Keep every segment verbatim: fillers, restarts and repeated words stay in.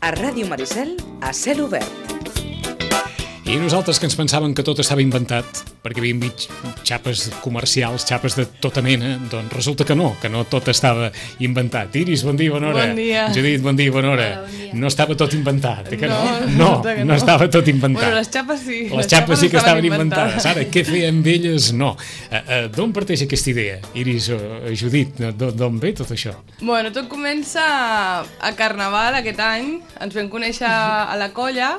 a Ràdio Maricel, a cel obert. I nosaltres que ens pensàvem que tot estava inventat, perquè havíem vist xapes comercials, xapes de tota mena, doncs resulta que no, que no tot estava inventat. Iris, bon dia, bona hora. Bon dia. Judit, bon dia, bona hora. Hola, bon dia. No estava tot inventat, eh, que no? No, No, que no, no. no estava tot inventat. Bueno, les xapes sí. Les xapes sí que estaven inventades. Ara, què feien amb elles? No. Uh, uh, D'on parteix aquesta idea? Iris, uh, Judit, d'on ve tot això? Bueno, tot comença a Carnaval aquest any. Ens vam conèixer a la colla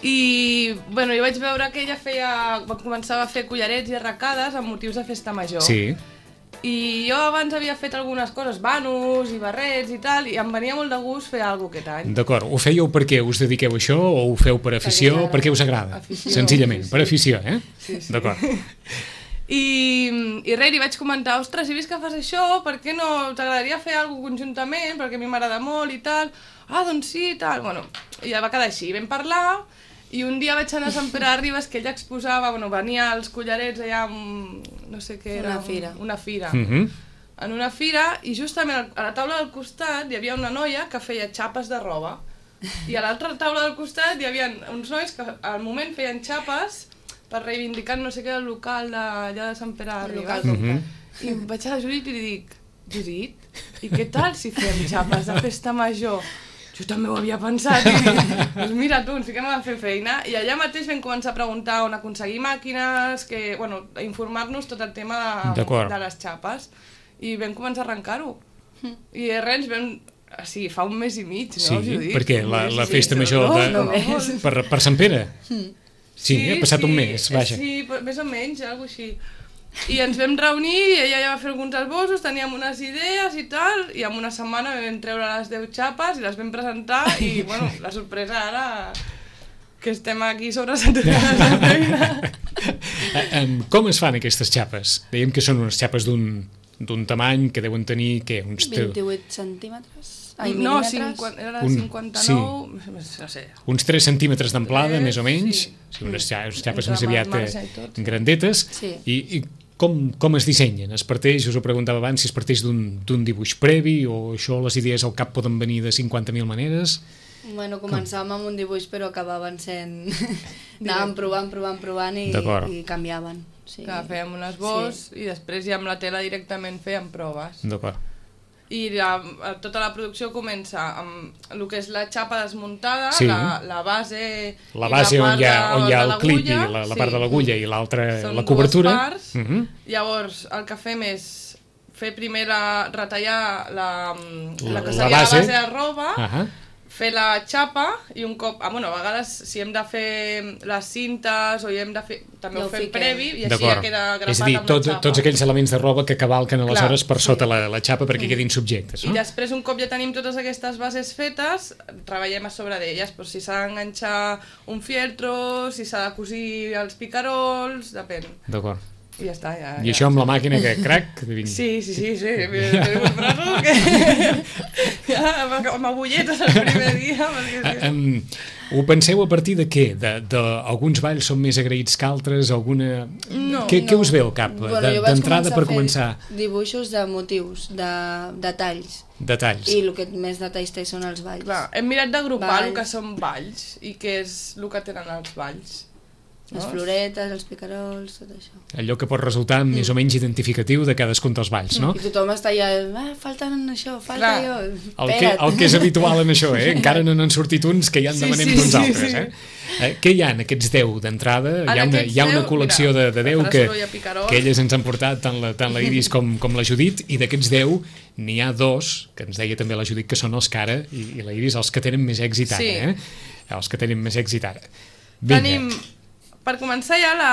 i bueno, jo vaig veure que ella feia, va començar a fer collarets i arracades amb motius de festa major. Sí. I jo abans havia fet algunes coses, vanos i barrets i tal, i em venia molt de gust fer alguna cosa aquest any. D'acord. Ho fèieu perquè us dediqueu a això o ho feu per afició? Perquè, perquè us agrada? Afició, Senzillament, sí, sí. per afició, eh? Sí, sí. D'acord. I, i res, li vaig comentar, ostres, si vist que fas això, per què no t'agradaria fer alguna cosa conjuntament, perquè a mi m'agrada molt i tal. Ah, doncs sí, i tal. Bueno, i ja va quedar així, vam parlar, i un dia vaig anar a Sant Pere de Ribes, que ella exposava, bueno, venia als collarets allà, amb, no sé què era. Una fira. Una fira. Mhm. En una fira, i justament a la taula del costat hi havia una noia que feia xapes de roba. I a l'altra taula del costat hi havia uns nois que al moment feien xapes per reivindicar no sé què del local d'allà de Sant Pere de El Ribes. local Mhm. I em vaig a la Judit i li dic, Judit, i què tal si fem xapes de festa major? Jo també ho havia pensat. I dic, doncs mira tu, ens fiquem a fer feina. I allà mateix vam començar a preguntar on aconseguir màquines, que, bueno, a informar-nos tot el tema de, D'acord. de les xapes. I vam començar a arrencar-ho. I res, ens vam... Sí, fa un mes i mig, no, Sí, Judit? perquè Un la, mes la i festa mig, major no? de, No, només. no. per, per Sant Pere. Sí, ha passat un mes, vaja. Sí, però més o menys, alguna cosa així. I ens vam reunir, i ella ja va fer alguns esbossos, teníem unes idees i tal, i en una setmana vam treure les deu xapes i les vam presentar, i bueno, la sorpresa ara que estem aquí sobresaturades de feina. Eh, em, Com es fan aquestes xapes? Dèiem que són unes xapes d'un d'un tamany que deuen tenir, què, uns... te- vint-i-vuit centímetres? Ai, No, mil·límetres? cinquanta, era Un- cinquanta-nou, no sé. uns tres centímetres d'amplada, Eh, més o menys, sí. sí, unes, xa- unes xapes Entre més aviat marge eh, i tot. grandetes, Sí. i, i com, com es dissenyen? Es parteix, us ho preguntava abans, si es parteix d'un d'un dibuix previ, o això, les idees al cap poden venir de cinquanta mil maneres? Bueno, començàvem amb un dibuix però acabaven sent... Anàvem provant, provant, provant i, D'acord. i canviaven. Sí. Que fèiem un esbós Sí. i després ja amb la tela directament fèiem proves. D'acord. I la, tota la producció comença amb el que és la xapa desmuntada, Sí. la, la base... La i base on part hi ha, on hi ha de el clip i l'agulla, la, la sí. part de l'agulla i l'altra, Són la dues cobertura. parts. Mhm. Llavors, el que fem és fer primer la, retallar la, La- la que la seria base. la base de roba, Ahà. fer la xapa i un cop... Ah, bueno, a vegades si hem de fer les cintes o hi hem de fer... També Ja ho ho fem fiquem. previ i així D'acord. ja queda grapat És a dir, amb tot, la xapa. tots aquells elements de roba que cavalquen aleshores Clar, per sota la, la xapa perquè quedin subjectes, I no? després, un cop ja tenim totes aquestes bases fetes, treballem a sobre d'elles. Pues, si s'ha d'enganxar un fieltro, si s'ha de cosir els picarols, depèn. D'acord. I ja està. Ja, I ja. això amb la màquina que crac... vinga. Sí, sí, sí, sí. Tenim uns braços que... ja, amb agulletes el primer dia. Perquè Ah, sí. um, ho penseu a partir de què? De, de, alguns balls són més agraïts que altres? Alguna... No, què, què no. us ve al cap? Bueno, De- jo vaig D'entrada per a fer començar, dibuixos de motius, de detalls. detalls. I el que més detalls té són els balls. Clar, hem mirat d'agrupar Balls. el que són balls i què és el que tenen els balls. Les floretes, els picarols, tot això. Allò que pot resultar més o menys identificatiu de cadascun dels balls, no? I tothom està allà, ah, falten això, falta Clar. allò. El que, el que és habitual en això, eh? Encara no n'han sortit uns que ja en Sí, demanem sí, d'uns sí, altres, sí. eh? eh? Què hi ha en aquests deu d'entrada? Hi, ha En una, aquests hi ha una deu, col·lecció mira, de, de deu farà que, soroll a picarol. que elles ens han portat, tant la, tant la Iris com, com la Judit, i d'aquests deu n'hi ha dos, que ens deia també la Judit, que són els que ara, i, i la Iris, els que tenen més èxit ara, Sí. eh? Els que tenen més èxit ara. Vinga. Tenim, per començar ja, la,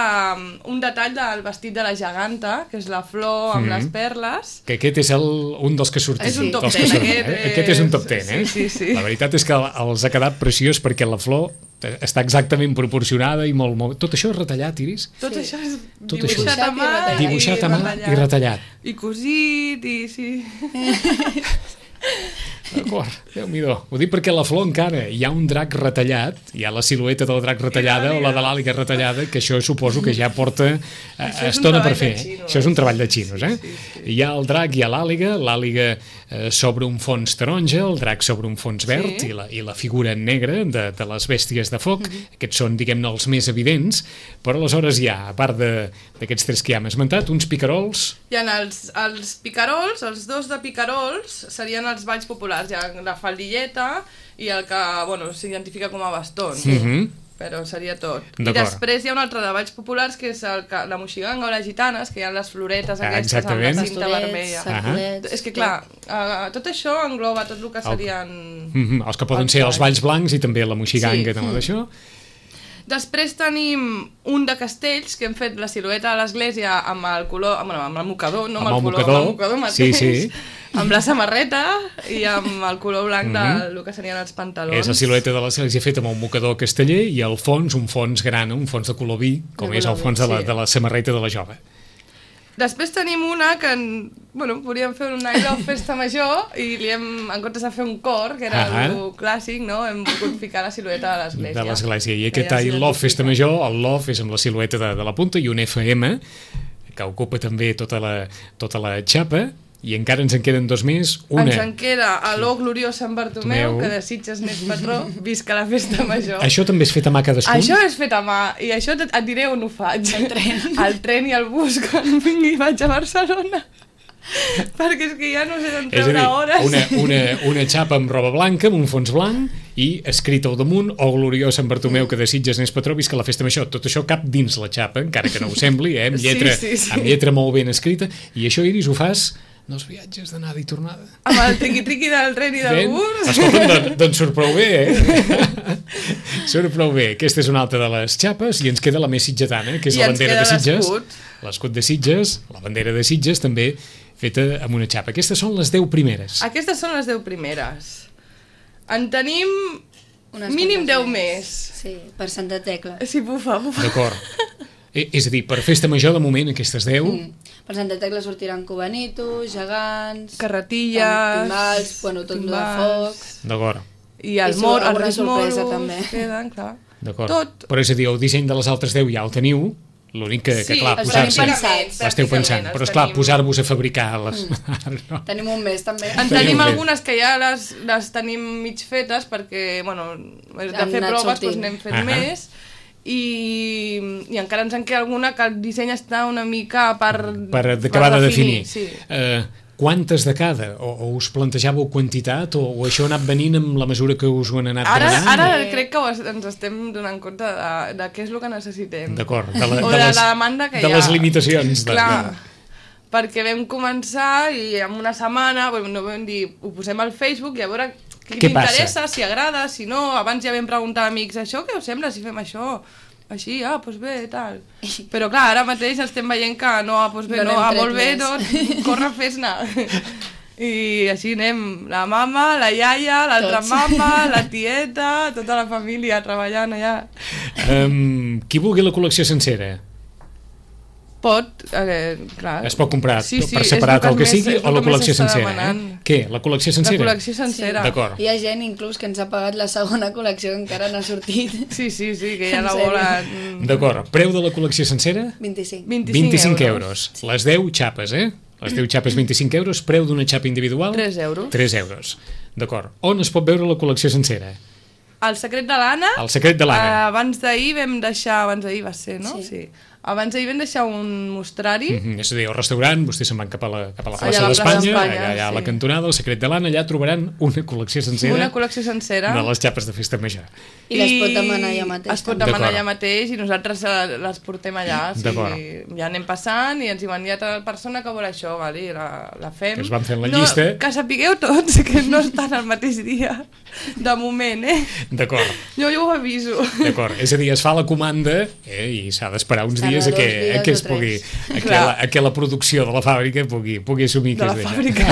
un detall del vestit de la geganta, que és la flor amb Mhm. les perles. Que aquest és el, un dels que surten. És un top dels que ten, surten, aquest eh? Aquest és un top és- ten, eh? sí, sí, sí. La veritat és que els ha quedat preciós perquè la flor està exactament proporcionada i molt, molt... Tot això és retallat, Iris? Tot Sí. això és Tot dibuixat això. a mà, Dibuixat a mà i retallat. I cosit, i sí. D'acord, Déu-n'hi-do. Ho dic perquè a la flor encara hi ha un drac retallat, hi ha la silueta del drac retallada o la de l'àliga retallada, que això suposo que ja porta eh, Això és un estona per treball fer. de xinos. Això és un treball de xinos, eh? Sí, sí. Hi ha el drac, hi ha l'àliga, l'àliga eh, sobre un fons taronja, el drac sobre un fons verd Sí. i, la, i la figura negra de, de les bèsties de foc. Mm-hmm. Aquests són, diguem-ne, els més evidents, però aleshores hi ha, a part d'aquests tres que ja hem esmentat, uns picarols. Hi ha els, els picarols, els dos de picarols serien els balls populars. Hi ha la faldilleta i el que, bueno, s'identifica com a bastons. Mhm. Però seria tot. I D'acord. després hi ha un altre de balls populars que és el, que- la moixiganga o les gitanes, que hi ha les floretes Ah, aquestes exactament. amb la cinta vermella. Sacolets, És que clar, uh, tot això engloba tot el que serien... Mhm. Els que poden Els ser els balls. balls blancs i també la moixiganga, Sí. sí. d'això. Després tenim un de castells, que hem fet la silueta de l'església amb el color, amb, amb el mocador, no amb, Amb el el color, mocador. amb el mocador mateix, Sí, sí. amb la samarreta i amb el color blanc Mhm. del que serien els pantalons. És la silueta de l'església feta amb un mocador casteller i al fons un fons grana, un fons de color vi, com De és el color fons vi, de la, sí. de la samarreta de la jove. Després tenim una que, en- bueno, podríem fer una I Love Festa Major i li hem, en comptes de fer un cor, que era Ah. el clàssic, no? Hem volgut ficar la silueta de l'església. De l'església. I Que aquest ja I Love s'identifica. Festa Major, el Love és amb la silueta de, de la punta i un F M que ocupa també tota la, tota la xapa i encara ens en queden dos més. Una, Ens en queda a l'O Gloriós Sant Bartomeu, Tomeu. que de Sitges n'és patró, visca la Festa Major. això també és fet a mà cadascun? Això és fet a mà, i això et, et diré on ho faig. El tren. El tren i el bus, quan vingui i vaig a Barcelona. Perquè és que ja no sé d'on És a treure dir, hores. una, una, una xapa amb roba blanca, amb un fons blanc, i escrit al damunt, o gloriós Sant Bartomeu, que de Sitges n'és patró, visca la Festa Major. Tot això cap dins la xapa, encara que no ho sembli, eh? amb, Sí, lletra, sí, sí. amb lletra molt ben escrita. I això, Iris, ho fas dels viatges d'anada i tornada. Amb el triqui-triqui del tren i del Ben? bus. Escolta'm, doncs, doncs surt prou bé, eh? Surt prou bé. Aquesta és una altra de les xapes i ens queda la més sitgetana, que és I la ens bandera de queda Sitges. l'escut. L'escut de Sitges, la bandera de Sitges, també feta amb una xapa. Aquestes són les deu primeres. Aquestes són les deu primeres. En tenim Unes mínim quantes deu més. Sí, per Santa Tecla. Sí, bufa, bufa. D'acord. Eh, És a dir, per festa major, de moment, aquestes deu... Mm. Per Santa Tecla sortiran cubanitos, gegants... Carretilles... Timbals, bueno, tot el de timbals. foc... D'acord, I el I mor, els alguna Reis sorpresa, Moros, també. queden, clar. d'acord. Tot. Però és a dir, el disseny de les altres deu ja el teniu, l'únic que, que Sí, clar, els posar-se... tenim pensats, L'esteu pensant, pràcticament, però els esclar, tenim. posar-vos a fabricar les... no. Tenim un mes, també. En Teniu tenim bé. algunes que ja les, les tenim mig fetes perquè, bueno, de Han fer anat proves sortint. doncs n'hem fet Ahà. més i, i encara ens en queda alguna que el disseny està una mica per, Per acabar de definir. Sí. Eh, quantes de cada? O, o us plantejàveu quantitat? O, o això ha anat venint amb la mesura que us ho han anat Ara, demanant? ara Sí. crec que ho es- ens estem donant compte de, de què és el que necessitem. D'acord, de, la, O de, de les, la demanda que de hi ha. les limitacions. De, Clar, de... perquè vam començar i en una setmana bueno, no vam dir, ho posem al Facebook i a veure qui Què li passa? interessa, si agrada, si no. Abans ja vam preguntar a amics, això què us sembla si fem això? Així, ah, doncs bé, tal. Però clar, ara mateix estem veient que no, ah, doncs bé, No no, n'hem ah, tret molt bé, més. no, corre, fes-ne. I així anem, la mama, la iaia, l'altra Tots. mama, la tieta, tota la família treballant allà. Um, qui vulgui la col·lecció sencera, Pot, eh, clar. es pot comprar Sí, sí, per és separat el el que més- sigui és o el la que més col·lecció s'està sencera? Eh? demanant. Què? La col·lecció La sencera? col·lecció sencera. D'acord. Hi ha gent inclús que ens ha pagat la segona col·lecció que encara no ha sortit. Sí, sí, sí, que ja En la sèrio? volen... D'acord. Preu de la col·lecció sencera? vint-i-cinc. vint-i-cinc, vint-i-cinc euros. Les deu xapes, eh? Les deu xapes, vint-i-cinc euros. Preu d'una xapa individual? tres euros. tres euros. D'acord. On es pot veure la col·lecció sencera? El secret de l'Anna... El secret de l'Anna. eh, abans d'ahir vam deixar... Abans d'ahir va ser, no? Sí. sí. Abans d'ahir vam deixar un mostrari. Mm -hmm. És a dir, al restaurant, vostès se'n van cap a la, cap a la Allà plaça a la plaça d'Espanya, d'Espanya, allà, allà a la sí. cantonada, el secret de l'Anna, allà trobaran una col·lecció sencera Una col·lecció sencera. de les xapes de festa major. I les pot demanar allà mateix, Es pot també. demanar D'acord. allà mateix i nosaltres eh, les portem allà. D'acord. Sí, ja anem passant i ens diuen, hi ha tal persona que vol això, val? I la, la fem. Que es van fent la no, llista. Que sapigueu tots que no estan al mateix dia, de moment, eh? D'acord. Jo ja ho aviso. D'acord, és a dir, es fa la comanda eh, i s'ha d'esperar uns S'ha de dies a dos que, dies a que o es pugui, tres. a que, Clar. la, a que la producció de la fàbrica pugui, pugui assumir De que la és d'això. fàbrica.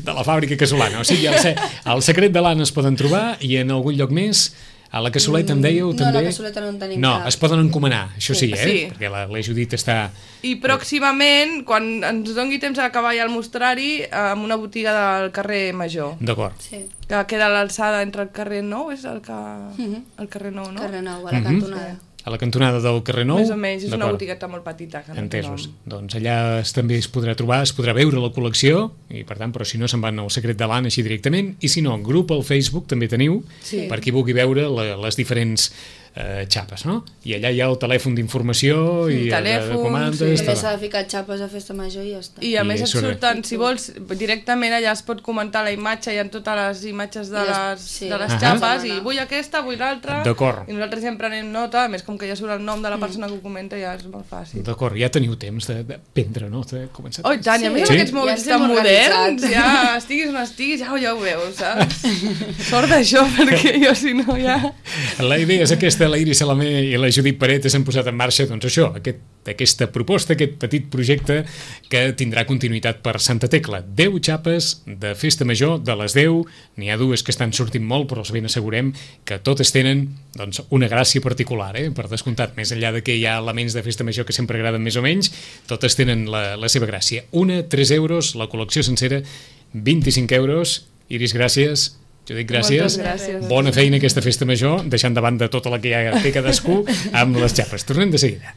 De la fàbrica casolana. O sigui, el, se- el secret de l'Anna es poden trobar i en algun lloc més. A la Cassoleta em dèieu No, també... a la Cassoleta no en tenim No, cap. es poden encomanar, això sí, Sí. eh? Sí. Perquè la, la Judit està... I pròximament, quan ens dongui temps a acabar ja el mostrari, amb una botiga del carrer Major, D'acord. Sí, que queda a l'alçada entre el carrer Nou, és el, que... Mhm. el carrer Nou, no? Carrer Nou, a la Mhm. cantonada. A la cantonada del carrer Nou? Més o menys, és una botigueta molt petita. Que no Entesos. Doncs allà es, també es podrà trobar, es podrà veure la col·lecció, i per tant, però si no se'n van al Secret de l'Anna així directament, i si no, el grup al Facebook també teniu, Sí. per qui vulgui veure la, les diferents eh, xapes, no? I allà hi ha el telèfon d'informació i Mm, de, telèfon, de comandes... sí. També tal. s'ha de ficar xapes a festa major i ja està. I a I més et surt- surten, si vols, directament allà es pot comentar la imatge, hi ha totes les imatges de I les- les, sí. de les Ahà. xapes, i vull aquesta, vull l'altra, D'acord. i nosaltres sempre anem nota, a més com que ja surt el nom de la persona que ho comenta, ja és molt fàcil. D'acord, ja teniu temps de, de prendre, no? De començar. Oh, i tant, i a més Sí? amb aquests mòbils Ja tan estem moderns, organitzats. ja estiguis o no estiguis, ja, ja ho veus, saps? Sort d'això, perquè jo si no ja... La idea és aquesta, la Iris Salamé i la Judit Paretes han posat en marxa, doncs això, aquest, aquesta proposta, aquest petit projecte que tindrà continuïtat per Santa Tecla. deu xapes de festa major, de les deu, n'hi ha dues que estan sortint molt, però els ben assegurem que totes tenen doncs, una gràcia particular, eh? Per descomptat, més enllà de que hi ha elements de festa major que sempre agraden més o menys, totes tenen la, la seva gràcia. Una, tres euros, la col·lecció sencera, vint-i-cinc euros. Iris, gràcies. Judit, gràcies. Moltes gràcies. Bona feina aquesta festa major, deixant de banda tota la que ja té cadascú amb les xapes. Tornem de seguida.